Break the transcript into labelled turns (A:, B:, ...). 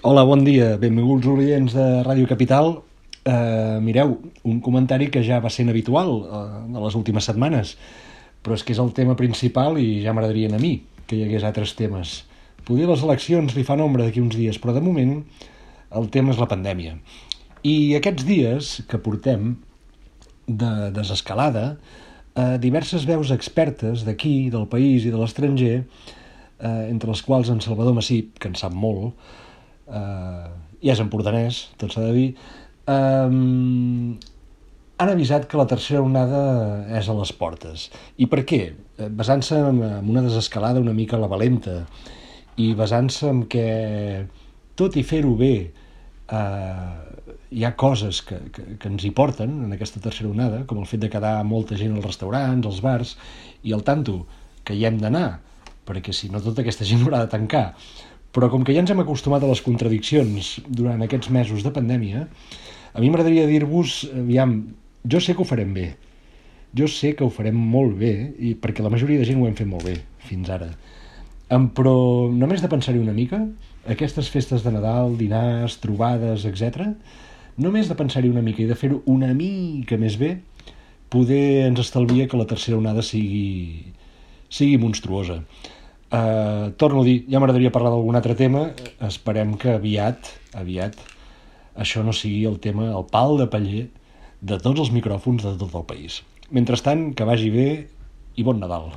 A: Hola, bon dia. Benvinguts oients de Ràdio Capital. Mireu, un comentari que ja va sent habitual de les últimes setmanes, però és que és el tema principal i ja m'agradaria a mi que hi hagués altres temes. Poder les eleccions li fan ombra d'aquí uns dies, però de moment el tema és la pandèmia. I aquests dies que portem de desescalada, diverses veus expertes d'aquí, del país i de l'estranger, entre les quals en Salvador Massip, que en sap molt, i és empordanès, tot s'ha de dir, han avisat que la tercera onada és a les portes. I per què? Basant-se en una desescalada una mica a la valenta i basant-se en que, tot i fer-ho bé, hi ha coses que ens hi porten en aquesta tercera onada, com el fet de quedar molta gent als restaurants, als bars, i el tanto que hi hem d'anar, perquè si no tota aquesta gent haurà de tancar. Però com que ja ens hem acostumat a les contradiccions durant aquests mesos de pandèmia, a mi m'agradaria dir-vos, aviam, jo sé que ho farem bé, jo sé que ho farem molt bé, i perquè la majoria de gent ho hem fet molt bé fins ara. Però només de pensar-hi una mica, aquestes festes de Nadal, dinars, trobades, etc., només de pensar-hi una mica i de fer-ho una mica més bé, poder ens estalvia que la tercera onada sigui monstruosa. Torno a dir, ja m'agradaria parlar d'algun altre tema. Esperem que aviat això no sigui el tema, el pal de paller de tots els micròfons de tot el país. Mentrestant, que vagi bé i bon Nadal.